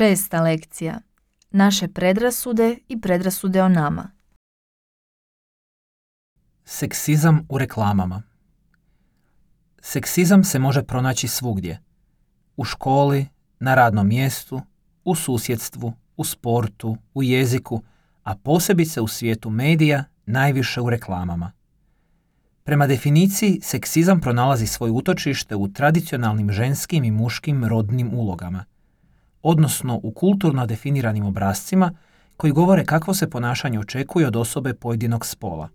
6. lekcija. Naše predrasude i predrasude o nama. Seksizam u reklamama. Seksizam se može pronaći svugdje. U školi, na radnom mjestu, u susjedstvu, u sportu, u jeziku, a posebice u svijetu medija, najviše u reklamama. Prema definiciji, seksizam pronalazi svoje utočište u tradicionalnim ženskim i muškim rodnim ulogama, odnosno u kulturno definiranim obrascima koji govore kakvo se ponašanje očekuje od osobe pojedinog spola.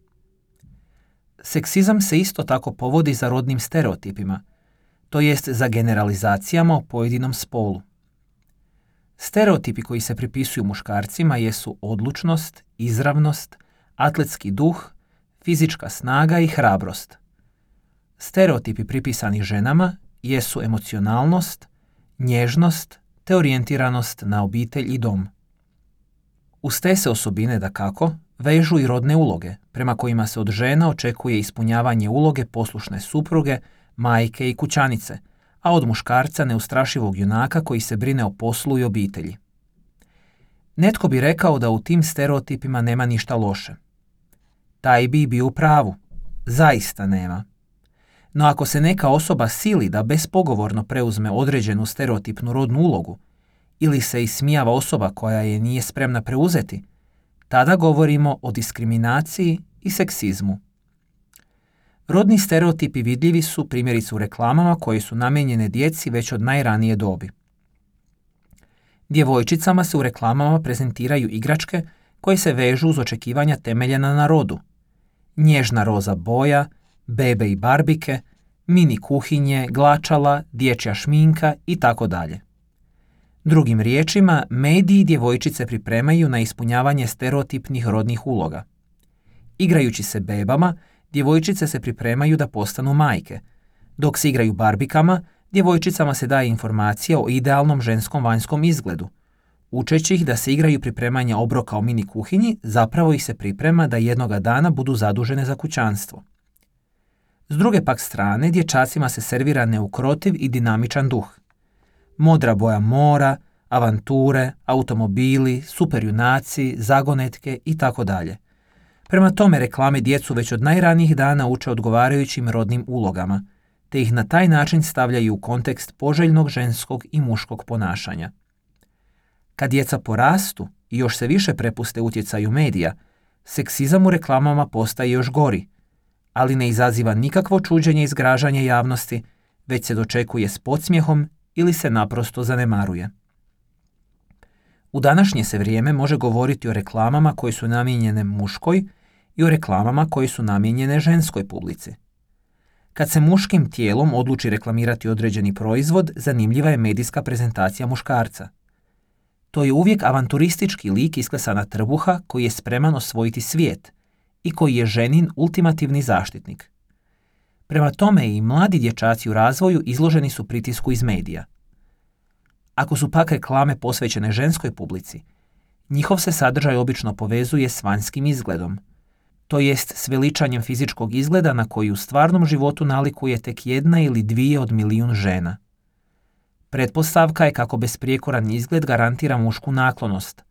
Seksizam se isto tako povodi za rodnim stereotipima, to jest za generalizacijama o pojedinom spolu. Stereotipi koji se pripisuju muškarcima jesu odlučnost, izravnost, atletski duh, fizička snaga i hrabrost. Stereotipi pripisani ženama jesu emocionalnost, nježnost te orijentiranost na obitelj i dom. Uz te se osobine, dakako, vežu i rodne uloge, prema kojima se od žena očekuje ispunjavanje uloge poslušne supruge, majke i kućanice, a od muškarca neustrašivog junaka koji se brine o poslu i obitelji. Netko bi rekao da u tim stereotipima nema ništa loše. Taj bi bio u pravu. Zaista nema. No ako se neka osoba sili da bespogovorno preuzme određenu stereotipnu rodnu ulogu ili se ismijava osoba koja je nije spremna preuzeti, tada govorimo o diskriminaciji i seksizmu. Rodni stereotipi vidljivi su primjerice u reklamama koje su namijenjene djeci već od najranije dobi. Djevojčicama se u reklamama prezentiraju igračke koje se vežu uz očekivanja temeljena na rodu. Nježna roza boja, bebe i barbike, mini kuhinje, glačala, dječja šminka i tako dalje. Drugim riječima, mediji djevojčice pripremaju na ispunjavanje stereotipnih rodnih uloga. Igrajući se bebama, djevojčice se pripremaju da postanu majke. Dok se igraju barbikama, djevojčicama se daje informacija o idealnom ženskom vanjskom izgledu. Učeći ih da se igraju pripremanja obroka u mini kuhinji, zapravo ih se priprema da jednoga dana budu zadužene za kućanstvo. S druge pak strane, dječacima se servira neukrotiv i dinamičan duh. Modra boja mora, avanture, automobili, superjunaci, zagonetke i tako dalje. Prema tome reklame djecu već od najranijih dana uče odgovarajućim rodnim ulogama, te ih na taj način stavljaju u kontekst poželjnog ženskog i muškog ponašanja. Kad djeca porastu i još se više prepuste utjecaju medija, seksizam u reklamama postaje još gori, ali ne izaziva nikakvo čuđenje i zgražanje javnosti, već se dočekuje s podsmjehom ili se naprosto zanemaruje. U današnje se vrijeme može govoriti o reklamama koje su namijenjene muškoj i o reklamama koje su namijenjene ženskoj publici. Kad se muškim tijelom odluči reklamirati određeni proizvod, zanimljiva je medijska prezentacija muškarca. To je uvijek avanturistički lik isklesana trbuha koji je spreman osvojiti svijet i koji je ženin ultimativni zaštitnik. Prema tome i mladi dječaci u razvoju izloženi su pritisku iz medija. Ako su pak reklame posvećene ženskoj publici, njihov se sadržaj obično povezuje s vanjskim izgledom, to jest s veličanjem fizičkog izgleda na koji u stvarnom životu nalikuje tek 1 ili 2 od milijun žena. Pretpostavka je kako besprijekoran izgled garantira mušku naklonost,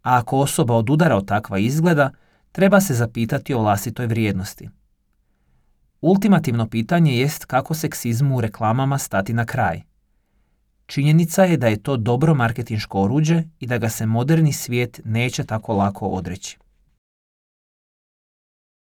a ako osoba odudara od takva izgleda, treba se zapitati o vlastitoj vrijednosti. Ultimativno pitanje jest kako seksizmu u reklamama stati na kraj. Činjenica je da je to dobro marketinško oruđe i da ga se moderni svijet neće tako lako odreći.